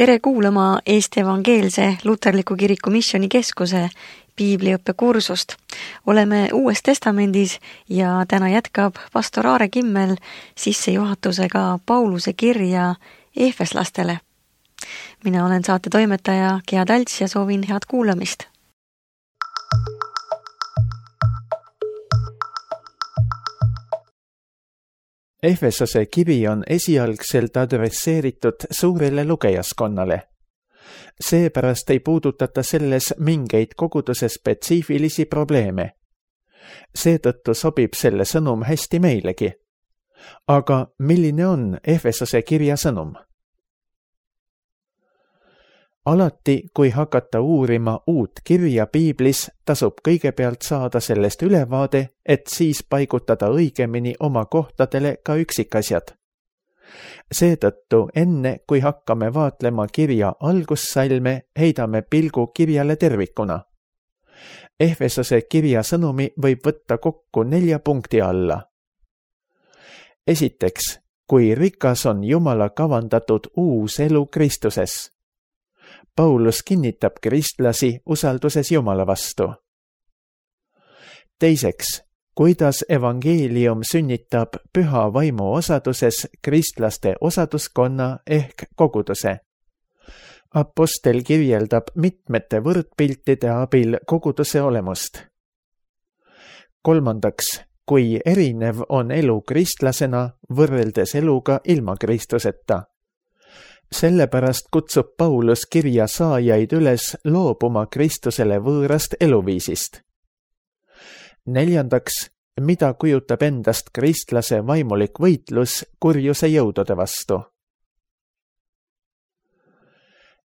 Tere kuulama Eesti Evangeelse Luterliku Kiriku Missioonikeskuse piibliõppe kursust. Oleme Uues Testamendis ja täna jätkab pastor Aare Kimmel sissejuhatusega Pauluse kirja Efeslastele. Mina olen saate toimetaja Gea Talts ja soovin head kuulamist. Efesose kiri on esialgselt adresseeritud suurele lugejaskonnale. Seepärast ei puudutata selles mingeid koguduse spetsiifilisi probleeme. Seetõttu sobib selle sõnum hästi meilegi. Aga milline on Efesose kirja sõnum? Alati, kui hakata uurima uut kirja piiblis, tasub kõigepealt saada sellest ülevaade, et siis paigutada õigemini oma kohtadele ka üksikasjad. Seetõttu enne, kui hakkame vaatlema kirja algussalme, heidame pilgu kirjale tervikuna. Efesose kirja sõnumi võib võtta kokku 4 punkti alla. Esiteks, kui rikas on Jumala kavandatud uus elu Kristuses. Paulus kinnitab kristlasi usalduses Jumala vastu. Teiseks, kuidas evangeelium sünnitab püha vaimu osaduses kristlaste osaduskonna ehk koguduse. Apostel kirjeldab mitmete võrdpiltide abil koguduse olemust. Kolmandaks, kui erinev on elu kristlasena võrreldes eluga ilma Kristuseta. Sellepärast kutsub Paulus kirja saajaid üles loobuma Kristusele võõrast eluviisist. Neljandaks, mida kujutab endast kristlase vaimulik võitlus kurjuse jõudude vastu.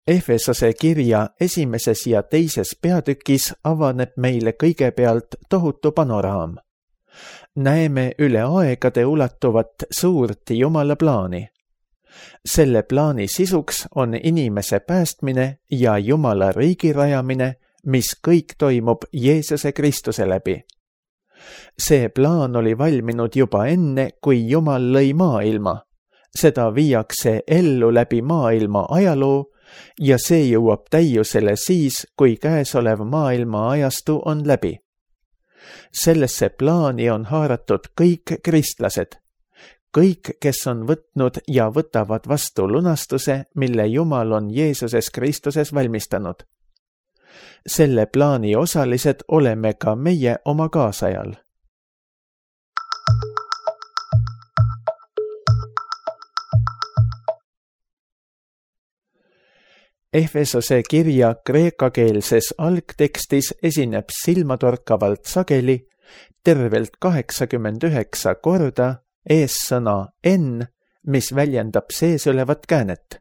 Efesose kirja 1. ja 2. peatükis avaneb meile kõigepealt tohutu panoraam. Näeme üle aegade ulatuvat suurt Jumala plaani. Selle plaani sisuks on inimese päästmine ja Jumala riigi rajamine, mis kõik toimub Jeesuse Kristuse läbi. See plaan oli valminud juba enne, kui Jumal lõi maailma. Seda viiakse ellu läbi maailma ajaloo ja see jõuab täiusele siis, kui käesolev maailma ajastu on läbi. Sellesse plaani on haaratud kõik kristlased. Kõik, kes on võtnud ja võtavad vastu lunastuse, mille Jumal on Jeesuses Kristuses valmistanud. Selle plaani osalised oleme ka meie oma kaasajal. Efesose kirja kreekakeelses algtekstis esineb silmatorkavalt sageli tervelt 89 korda eessõna N, mis väljendab seesolevat käänet.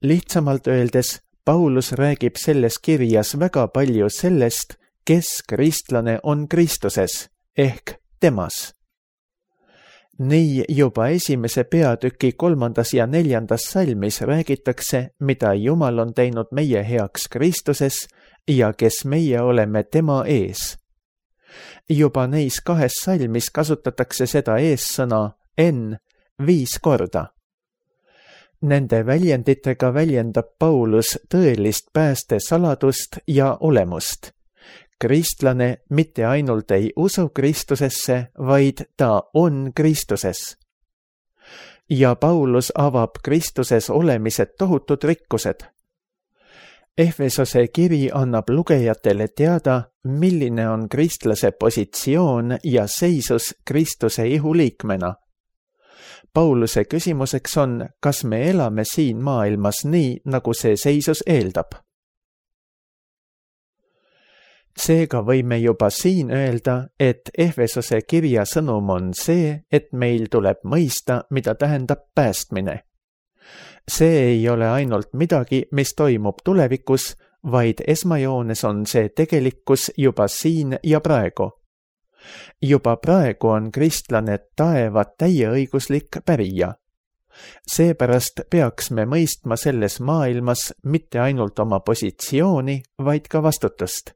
Lihtsamalt öeldes, Paulus räägib selles kirjas väga palju sellest, kes kristlane on Kristuses, ehk temas. Nii juba 1. peatüki 3. ja 4. salmis räägitakse, mida Jumal on teinud meie heaks Kristuses ja kes meie oleme tema ees. Juba neis 2 salmis kasutatakse seda eessõna N 5 korda. Nende väljenditega väljendab Paulus tõelist pääste saladust ja olemust. Kristlane mitte ainult ei usu Kristusesse, vaid ta on Kristuses. Ja Paulus avab Kristuses olemised tohutud rikkused. Efesose kiri annab lugejatele teada, milline on kristlase positsioon ja seisus Kristuse ihuliikmena. Pauluse küsimuseks on, kas me elame siin maailmas nii, nagu see seisus eeldab. Seega võime juba siin öelda, et Efesose kirja sõnum on see, et meil tuleb mõista, mida tähendab päästmine. See ei ole ainult midagi, mis toimub tulevikus, vaid esmajoones on see tegelikkus juba siin ja praegu. Juba praegu on kristlane taeva täieõiguslik pärija. Seepärast peaks me mõistma selles maailmas mitte ainult oma positsiooni, vaid ka vastutust.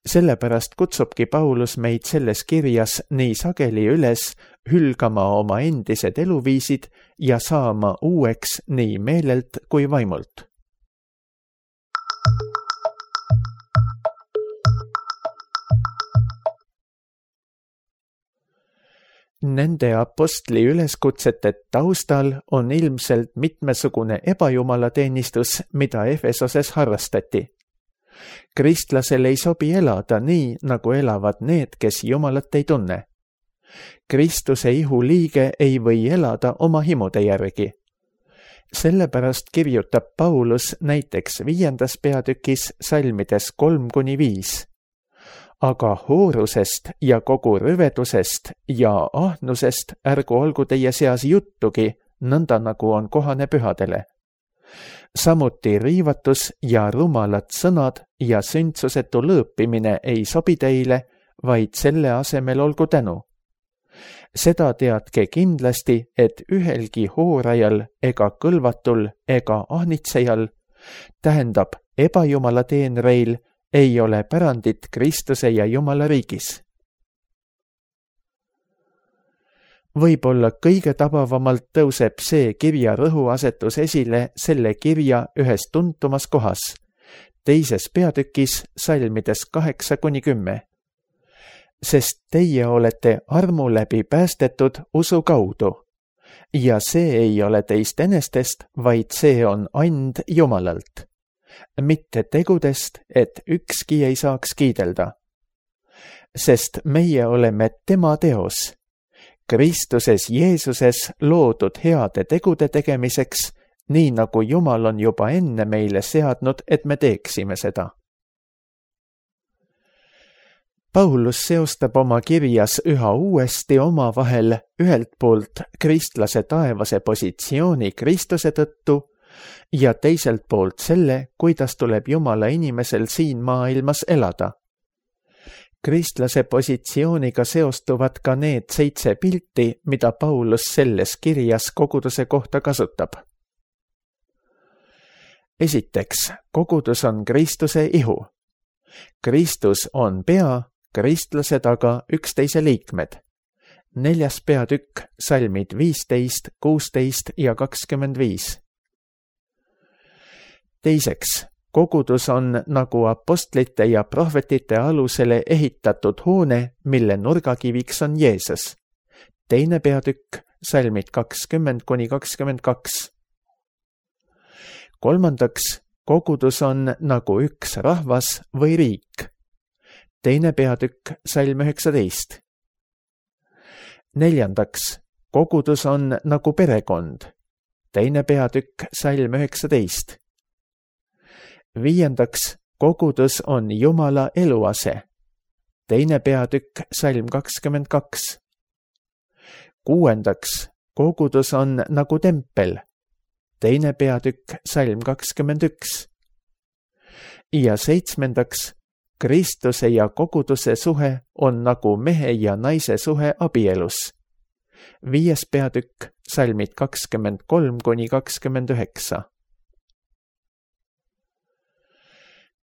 Sellepärast kutsubki Paulus meid selles kirjas nii sageli üles hülgama oma endised eluviisid ja saama uueks nii meelelt kui vaimult. Nende apostli üleskutsete taustal on ilmselt mitmesugune ebajumalateenistus, mida Efesoses harrastati. Kristlasel ei sobi elada nii, nagu elavad need, kes Jumalat ei tunne. Kristuse ihu liige ei või elada oma himude järgi. Sellepärast kirjutab Paulus näiteks 5. peatükis salmides 3-5. Aga hoorusest ja kogu rüvedusest ja ahnusest ärgu olgu teie seas juttugi, nõnda nagu on kohane pühadele. Samuti riivatus ja rumalad sõnad ja sündsusetu lõõpimine ei sobi teile, vaid selle asemel olgu tänu. Seda teadke kindlasti, et ühelgi hoorajal ega kõlvatul ega ahnitsejal, tähendab ebajumala teenreil, ei ole pärandit Kristuse ja Jumala riigis. Võib-olla kõige tabavamalt tõuseb see kirja rõhuasetus esile selle kirja ühes tuntumas kohas, 2. peatükis salmides 8-10. Sest teie olete armu läbi päästetud usu kaudu. Ja see ei ole teist enestest, vaid see on and Jumalalt. Mitte tegudest, et ükski ei saaks kiidelda. Sest meie oleme tema teos, Kristuses Jeesuses loodud heade tegude tegemiseks, nii nagu Jumal on juba enne meile seadnud, et me teeksime seda. Paulus seostab oma kirjas üha uuesti omavahel ühelt poolt kristlase taevase positsiooni Kristuse tõttu ja teiselt poolt selle, kuidas tuleb Jumala inimesel siin maailmas elada. Kristlase positsiooniga seostuvad ka need 7 pilti, mida Paulus selles kirjas koguduse kohta kasutab. Esiteks, kogudus on Kristuse ihu. Kristus on pea, kristlased aga üksteise liikmed. 4. peatükk, salmid 15, 16 ja 25. Teiseks, kogudus on nagu apostlite ja prohvetite alusele ehitatud hoone, mille nurgakiviks on Jeesus. 2. peatükk, salmid 20-22. Kolmandaks, kogudus on nagu üks rahvas või riik. 2. peatükk, salm 19. Neljandaks, kogudus on nagu perekond. 2. peatükk, salm 19. Viiendaks, kogudus on Jumala eluase. 2. peatükk, salm 22. Kuuendaks, kogudus on nagu tempel. 2. peatükk, salm 21. Ja 7. Kristuse ja koguduse suhe on nagu mehe ja naise suhe abielus. 5. peatükk, salmid 23-29.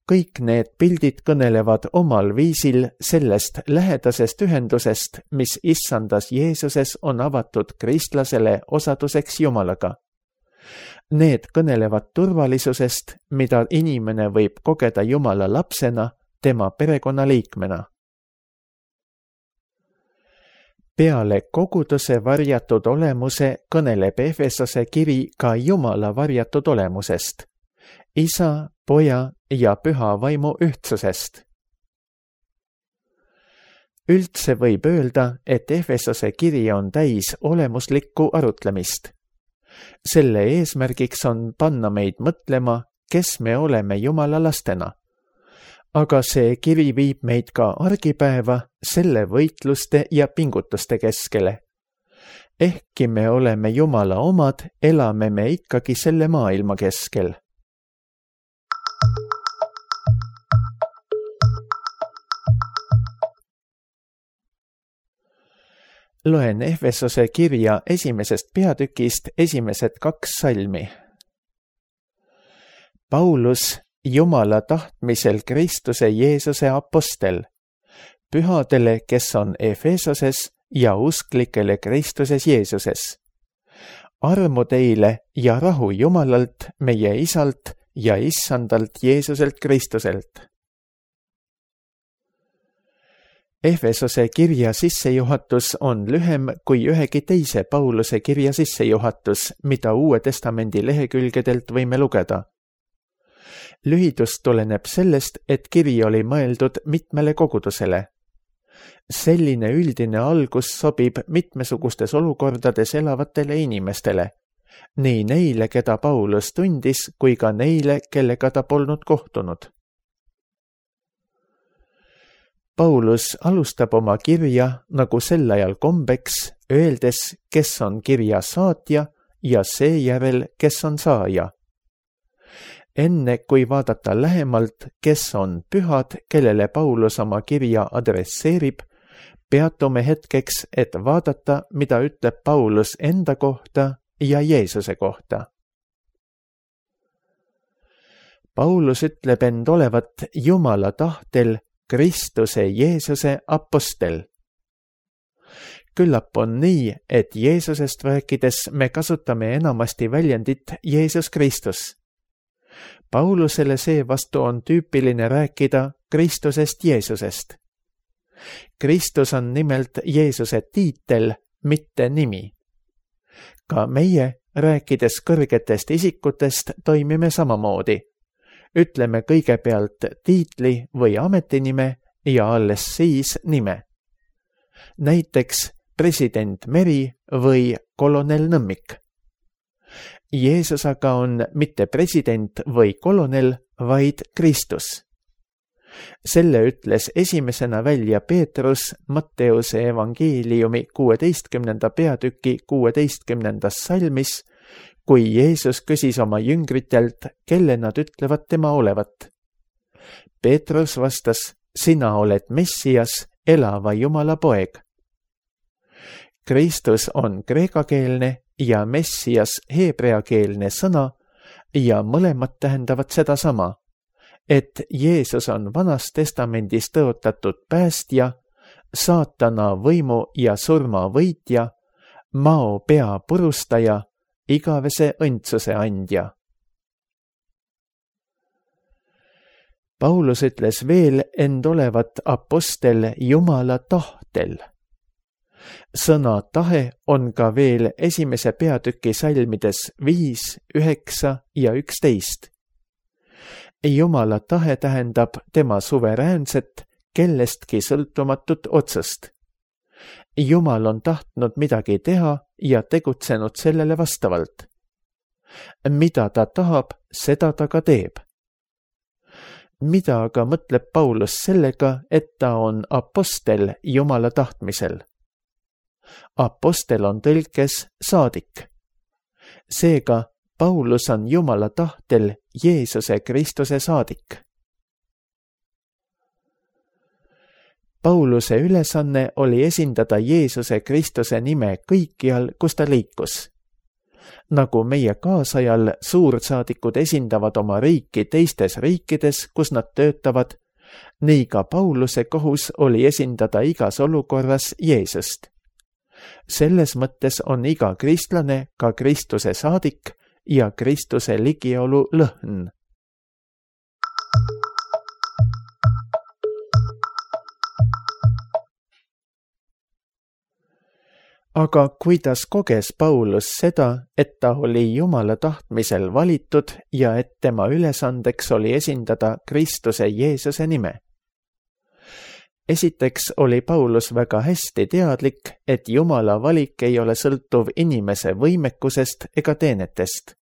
Kõik need pildid kõnelevad omal viisil sellest lähedasest ühendusest, mis issandas Jeesuses on avatud kristlasele osaduseks Jumalaga. Need kõnelevad turvalisusest, mida inimene võib kogeda Jumala lapsena, tema perekonnaliikmena. Peale koguduse varjatud olemuse kõneleb Efesose kiri ka Jumala varjatud olemusest, Isa, Poja ja Püha Vaimu ühtsusest. Üldse võib öelda, et Efesose kiri on täis olemuslikku arutlemist. Selle eesmärgiks on panna meid mõtlema, kes me oleme Jumala lastena. Aga see kiri viib meid ka argipäeva selle võitluste ja pingutuste keskele. Ehkki me oleme Jumala omad, elame me ikkagi selle maailma keskel. Loen Efesose kirja 1. peatükist esimesed 2 salmi. Paulus, Jumala tahtmisel Kristuse Jeesuse apostel, pühadele, kes on Efesoses ja usklikele Kristuses Jeesuses. Armu teile ja rahu Jumalalt, meie Isalt ja Issandalt Jeesuselt Kristuselt. Efesose kirja sissejuhatus on lühem kui ühegi teise Pauluse kirja sissejuhatus, mida Uue Testamendi lehekülgedelt võime lugeda. Lühidus tuleneb sellest, et kiri oli mõeldud mitmele kogudusele. Selline üldine algus sobib mitmesugustes olukordades elavatele inimestele, nii neile, keda Paulus tundis, kui ka neile, kellega ta polnud kohtunud. Paulus alustab oma kirja, nagu sel ajal kombeks, öeldes, kes on kirja saatja ja seejärel, kes on saaja. Enne kui vaadata lähemalt, kes on pühad, kellele Paulus oma kirja adresseerib, peatume hetkeks, et vaadata, mida ütleb Paulus enda kohta ja Jeesuse kohta. Paulus ütleb end olevat Jumala tahtel Kristuse Jeesuse apostel. Küllap on nii, et Jeesusest rääkides me kasutame enamasti väljendit Jeesus Kristus. Paulusele seevastu on tüüpiline rääkida Kristusest Jeesusest. Kristus on nimelt Jeesuse tiitel, mitte nimi. Ka meie, rääkides kõrgetest isikutest, toimime samamoodi. Ütleme kõigepealt tiitli või ametinime ja alles siis nime. Näiteks president Meri või kolonel Nõmmik. Jeesus aga on mitte president või kolonel, vaid Kristus. Selle ütles esimesena välja Peetrus Matteuse evangeeliumi 16. peatüki 16. salmis, kui Jeesus küsis oma jüngritelt, kelle nad ütlevad tema olevat. Peetrus vastas, sina oled Messias, elava Jumala poeg. Kristus on kreekakeelne ja Messias heebreakeelne sõna ja mõlemad tähendavad sedasama, et Jeesus on Vanas Testamendis tõotatud päästja, saatana võimu ja surma võitja, mao pea purustaja, igavese õndsuse andja. Paulus ütles veel end olevat apostel Jumala tahtel. Sõna tahe on ka veel 1. peatüki salmides 5, 9 ja 11. Jumala tahe tähendab tema suveräänset, kellestki sõltumatut otsust. Jumal on tahtnud midagi teha ja tegutsenud sellele vastavalt. Mida ta tahab, seda ta ka teeb. Mida aga mõtleb Paulus sellega, et ta on apostel Jumala tahtmisel? Apostel on tõlkes saadik. Seega Paulus on Jumala tahtel Jeesuse Kristuse saadik. Pauluse ülesanne oli esindada Jeesuse Kristuse nime kõikjal, kus ta liikus. Nagu meie kaasajal suursaadikud esindavad oma riiki teistes riikides, kus nad töötavad, nii ka Pauluse kohus oli esindada igas olukorras Jeesust. Selles mõttes on iga kristlane ka Kristuse saadik ja Kristuse ligiolu lõhn. Aga kuidas koges Paulus seda, et ta oli Jumala tahtmisel valitud ja et tema ülesandeks oli esindada Kristuse Jeesuse nime? Esiteks oli Paulus väga hästi teadlik, et Jumala valik ei ole sõltuv inimese võimekusest ega teenetest.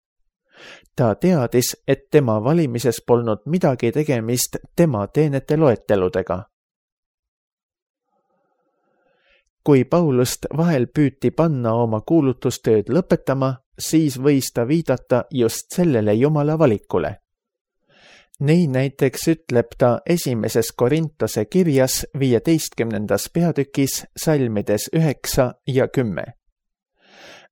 Ta teadis, et tema valimises polnud midagi tegemist tema teenete loeteludega. Kui Paulust vahel püüti panna oma kuulutustööd lõpetama, siis võis ta viidata just sellele Jumala valikule. Nii näiteks ütleb ta 1. Korintuse kirjas 15. peatükis salmides 9 ja 10.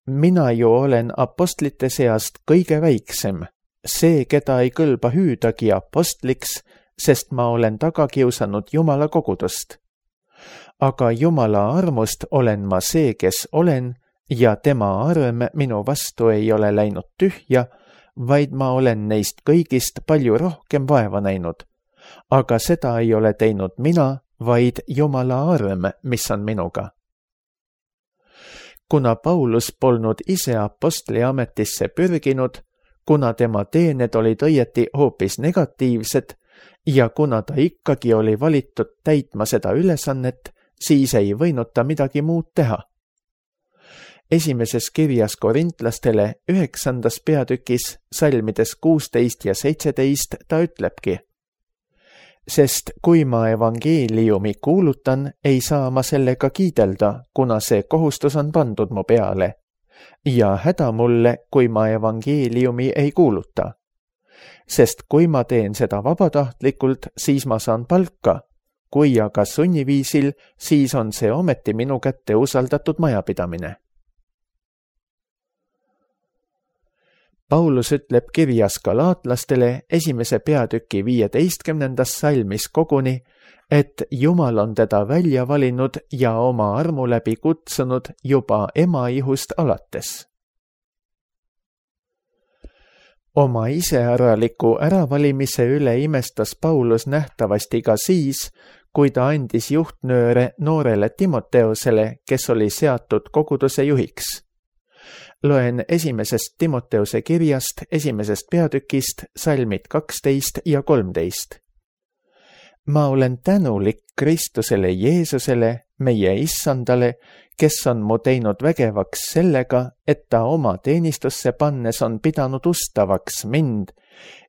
Mina ju olen apostlite seast kõige väiksem, see, keda ei kõlba hüüdagi apostliks, sest ma olen taga kiusanud Jumala kogudust. Aga Jumala armust olen ma see, kes olen, ja tema arm minu vastu ei ole läinud tühja, vaid ma olen neist kõigist palju rohkem vaeva näinud. Aga seda ei ole teinud mina, vaid Jumala arm, mis on minuga. Kuna Paulus polnud ise apostli ametisse pürginud, kuna tema teened olid õieti hoopis negatiivsed ja kuna ta ikkagi oli valitud täitma seda ülesannet, siis ei võinud ta midagi muud teha. Esimeses kirjas korintlastele 9. peatükis salmides 16 ja 17 ta ütlebki: sest kui ma evangeeliumi kuulutan, ei saa ma sellega kiidelda, kuna see kohustus on pandud mu peale. Ja häda mulle, kui ma evangeeliumi ei kuuluta. Sest kui ma teen seda vabatahtlikult, siis ma saan palka. Kui aga sunniviisil, siis on see ometi minu kätte usaldatud majapidamine. Paulus ütleb kirjas galaatlastele 1. peatüki 15. salmis koguni, et Jumal on teda välja valinud ja oma armu läbi kutsunud juba emaihust alates. Oma iseäraliku äravalimise üle imestas Paulus nähtavasti ka siis, kui ta andis juhtnööre noorele Timoteusele, kes oli seatud koguduse juhiks. Loen 1. Timoteuse kirjast 1. peatükist salmid 12 ja 13. Ma olen tänulik Kristusele Jeesusele, meie issandale, kes on mu teinud vägevaks sellega, et ta oma teenistusse pannes on pidanud ustavaks mind,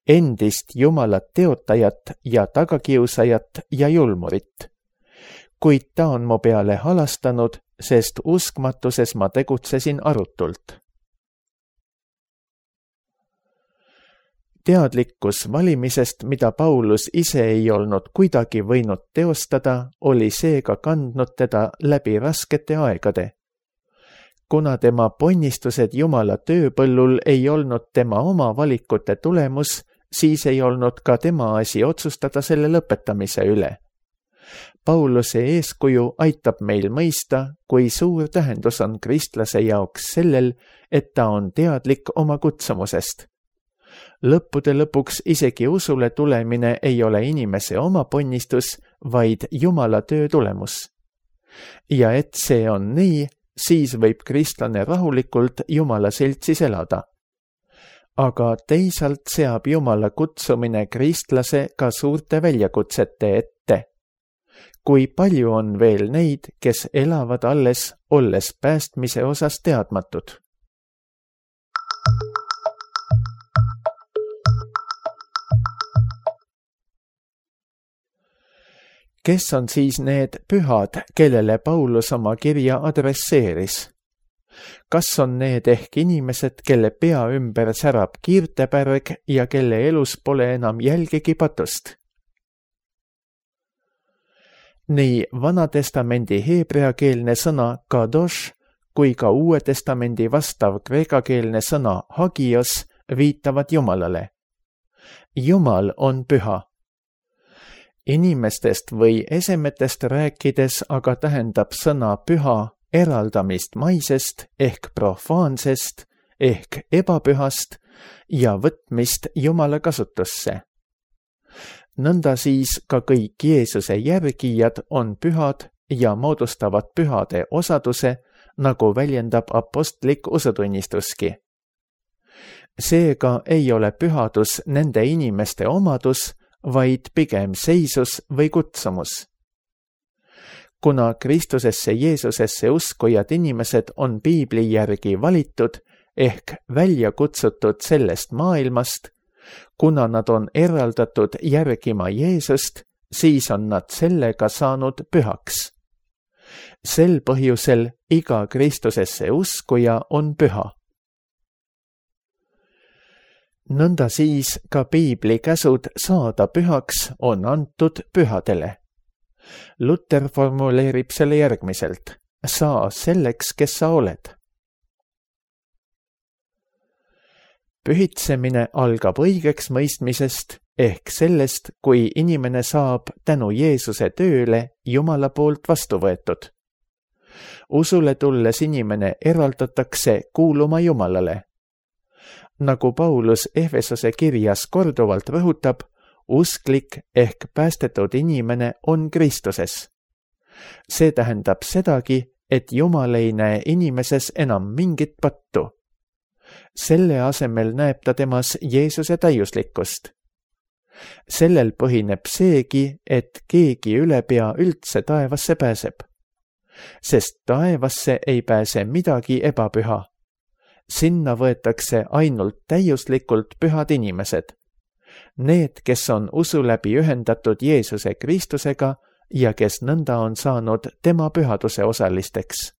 endist Jumalat teotajat ja tagakiusajat ja julmurit. Kuid ta on mu peale halastanud, sest uskmatuses ma tegutsesin arutult. Teadlikkus valimisest, mida Paulus ise ei olnud kuidagi võinud teostada, oli seega kandnud teda läbi raskete aegade. Kuna tema ponnistused Jumala tööpõllul ei olnud tema oma valikute tulemus, siis ei olnud ka tema asi otsustada selle lõpetamise üle. Pauluse eeskuju aitab meil mõista, kui suur tähendus on kristlase jaoks sellel, et ta on teadlik oma kutsumusest. Lõppude lõpuks isegi usule tulemine ei ole inimese oma ponnistus, vaid Jumala töö tulemus. Ja et see on nii, siis võib kristlane rahulikult Jumala seltsis elada. Aga teisalt seab Jumala kutsumine kristlase ka suurte väljakutsete ette. Kui palju on veel neid, kes elavad alles, olles päästmise osas teadmatud? Kes on siis need pühad, kellele Paulus oma kirja adresseeris? Kas on need ehk inimesed, kelle pea ümber särab kiirtepärg ja kelle elus pole enam jälgigi patust? Nii Vanatestamendi heebreakeelne sõna kadosh kui ka Uue Testamendi vastav kreekakeelne sõna hagios viitavad Jumalale. Jumal on püha. Inimestest või esemetest rääkides aga tähendab sõna püha eraldamist maisest ehk profaansest ehk ebapühast ja võtmist Jumala kasutusse. Nõnda siis ka kõik Jeesuse järgijad on pühad ja moodustavad pühade osaduse, nagu väljendab apostlik usutunnistuski. Seega ei ole pühadus nende inimeste omadus, vaid pigem seisus või kutsumus. Kuna Kristusesse Jeesusesse uskujad inimesed on piibli järgi valitud ehk välja kutsutud sellest maailmast, kuna nad on eraldatud järgima Jeesust, siis on nad sellega saanud pühaks. Sel põhjusel iga Kristusesse uskuja on püha. Nõnda siis ka piibli käsud saada pühaks on antud pühadele. Luther formuleerib selle järgmiselt: saa selleks, kes sa oled. Pühitsemine algab õigeks mõistmisest ehk sellest, kui inimene saab tänu Jeesuse tööle Jumala poolt vastu võetud. Usule tulles inimene eraldatakse kuuluma Jumalale. Nagu Paulus Efesose kirjas korduvalt rõhutab, usklik ehk päästetud inimene on Kristuses. See tähendab sedagi, et Jumal ei näe inimeses enam mingit pattu. Selle asemel näeb ta temas Jeesuse täiuslikkust. Sellel põhineb seegi, et keegi ülepea üldse taevasse pääseb. Sest taevasse ei pääse midagi ebapüha. Sinna võetakse ainult täiuslikult pühad inimesed. Need, kes on usu läbi ühendatud Jeesuse Kristusega ja kes nõnda on saanud tema pühaduse osalisteks.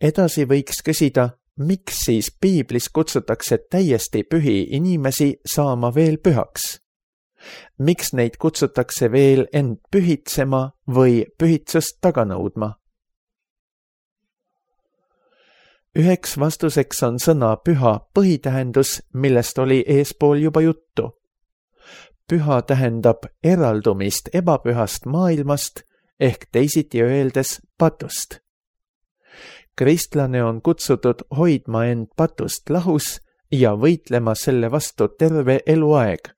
Edasi võiks küsida, miks siis piiblis kutsutakse täiesti pühi inimesi saama veel pühaks? Miks neid kutsutakse veel end pühitsema või pühitsust taga nõudma? Üheks vastuseks on sõna püha põhitähendus, millest oli eespool juba juttu. Püha tähendab eraldumist ebapühast maailmast ehk teisiti öeldes patust. Kristlane on kutsutud hoidma end patust lahus ja võitlema selle vastu terve eluaeg.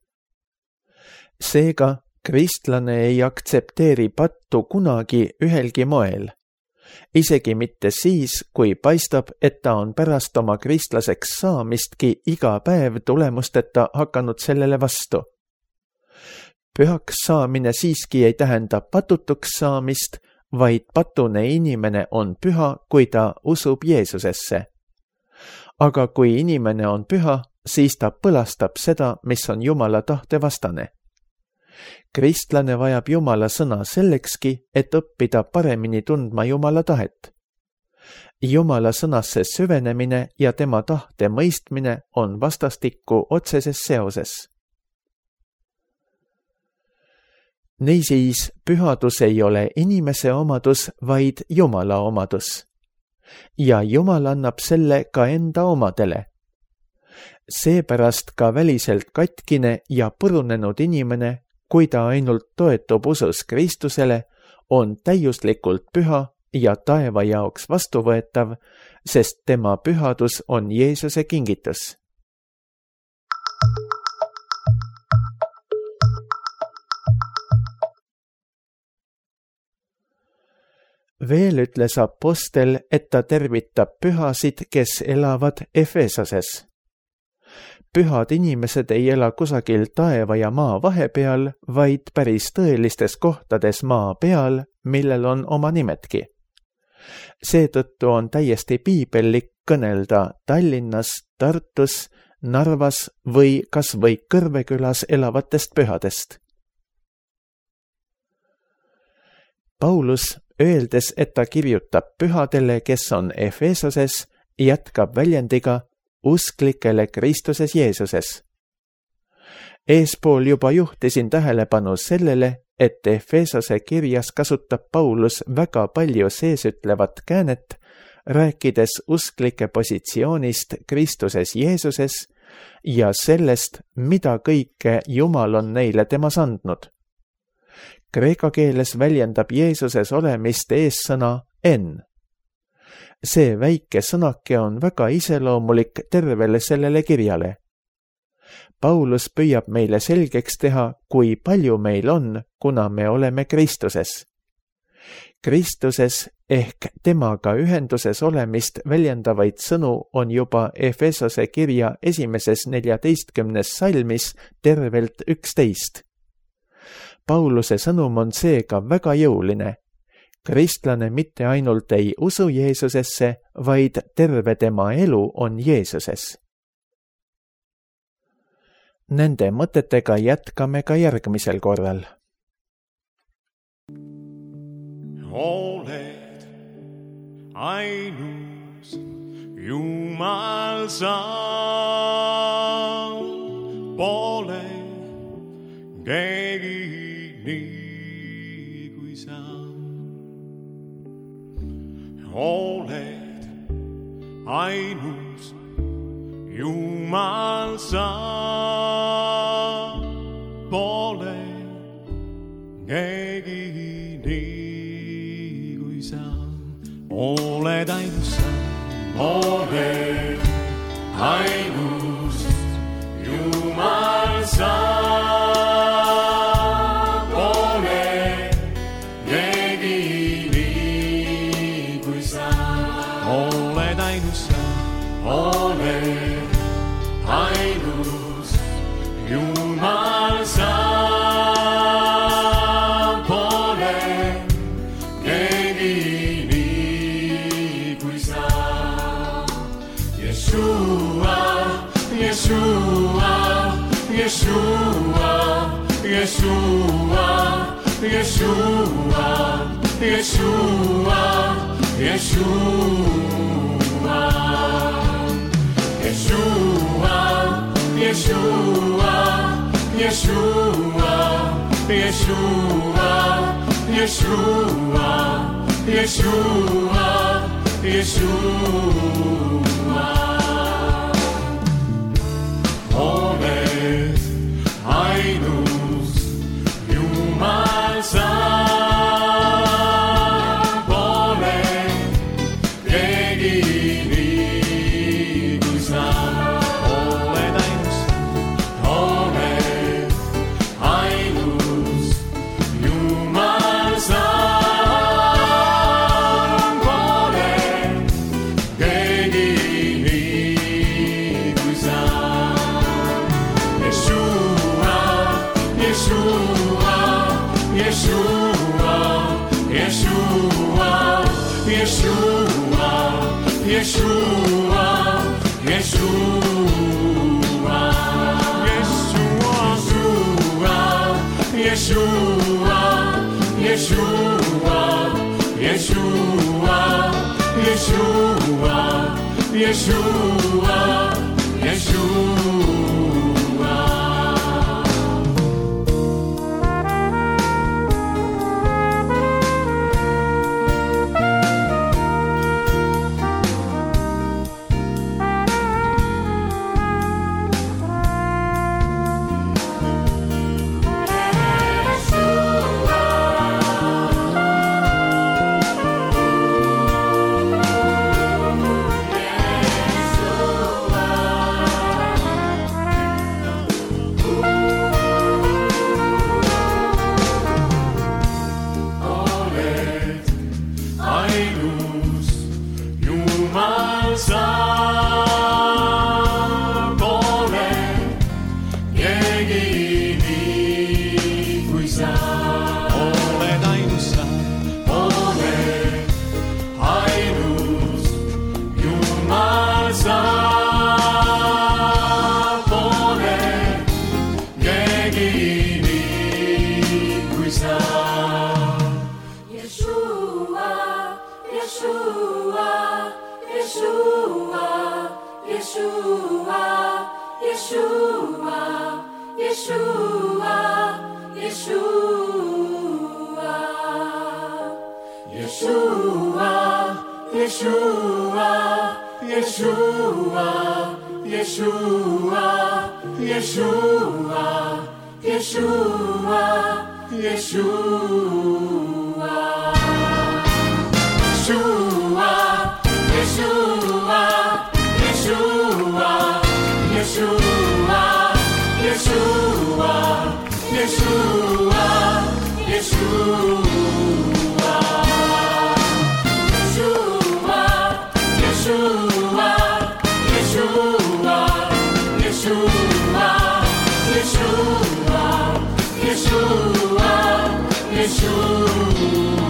Seega, kristlane ei aktsepteeri pattu kunagi ühelgi moel. Isegi mitte siis, kui paistab, et ta on pärast oma kristlaseks saamistki iga päev tulemusteta hakanud sellele vastu. Pühaks saamine siiski ei tähenda patutuks saamist, vaid patune inimene on püha, kui ta usub Jeesusesse. Aga kui inimene on püha, siis ta põlastab seda, mis on Jumala tahte vastane. Kristlane vajab Jumala sõna sellekski, et õppida paremini tundma Jumala tahet. Jumala sõnasse süvenemine ja tema tahte mõistmine on vastastikku otseses seoses. Niisiis, pühadus ei ole inimese omadus, vaid Jumala omadus. Ja Jumal annab selle ka enda omadele. Seepärast ka väliselt katkine ja purunenud inimene, kui ta ainult toetub usus Kristusele, on täiuslikult püha ja taeva jaoks vastuvõetav, sest tema pühadus on Jeesuse kingitus. Veel ütles apostel, et ta tervitab pühasid, kes elavad Efesoses. Pühad inimesed ei ela kusagil taeva ja maa vahepeal, vaid päris tõelistes kohtades maa peal, millel on oma nimetki. Seetõttu on täiesti piibellik kõnelda Tallinnas, Tartus, Narvas või kas või Kõrvekülas elavatest pühadest. Paulus, öeldes, et ta kirjutab pühadele, kes on Efesoses, jätkab väljendiga usklikele Kristuses Jeesuses. Eespool juba juhtisin tähelepanu sellele, et Efesose kirjas kasutab Paulus väga palju seesütlevat käänet, rääkides usklike positsioonist Kristuses Jeesuses ja sellest, mida kõike Jumal on neile temas andnud. Kreeka keeles väljendab Jeesuses olemist eessõna en. See väike sõnake on väga iseloomulik tervele sellele kirjale. Paulus püüab meile selgeks teha, kui palju meil on, kuna me oleme Kristuses. Kristuses ehk temaga ühenduses olemist väljendavaid sõnu on juba Efesose kirja 14. salmis tervelt 11. Pauluse sõnum on seega väga jõuline. Kristlane mitte ainult ei usu Jeesusesse, vaid terve tema elu on Jeesuses. Nende mõtetega jätkame ka järgmisel korral. Oled ainus Jumal sa, pole keegi nii kui sa. Oled ainus Jumal sa pole keegi nii kui sa. Oled ainus sa, oled ainus Jumal sa. Pole keegi nii kui sa. Oled ainus sa, oled ainus Jumal sa. Pole keegi nii kui sa. Yeshua, Yeshua, Yeshua, Yeshua, Yeshua, Yeshua, Yeshua, Yeshua, Yeshua, Yeshua, Yeshua, Yeshua, Yeshua, Yeshua. Oled ainus Jumal sa. Pole keegi nii kui sa. Oled ainus, oled ainus Jumal sa. Pole keegi nii kui sa. Yeshua, Yeshua, Yeshua, Yeshua, Yeshua, Yeshua, Yeshua, Yeshua, Yeshua, Yeshua, Yeshua, Yeshua, Yeshua, Yeshua. Ainus Jumal sa. Pole keegi nii kui sa. Oled ainus sa, oled ainus Jumal sa. Pole keegi nii kui sa. Yeshua, Yeshua, Yeshua, Yeshua, Yeshua, Yeshua, Yeshua, Yeshua, Yeshua, Yeshua, Yeshua, Yeshua, Yeshua, Yeshua. Yeshua, Yeshua, Yeshua, Yeshua, Yeshua, Yeshua, Yeshua, Yeshua, Yeshua, Yeshua, Yeshua, Yeshua, Yeshua, Yeshua.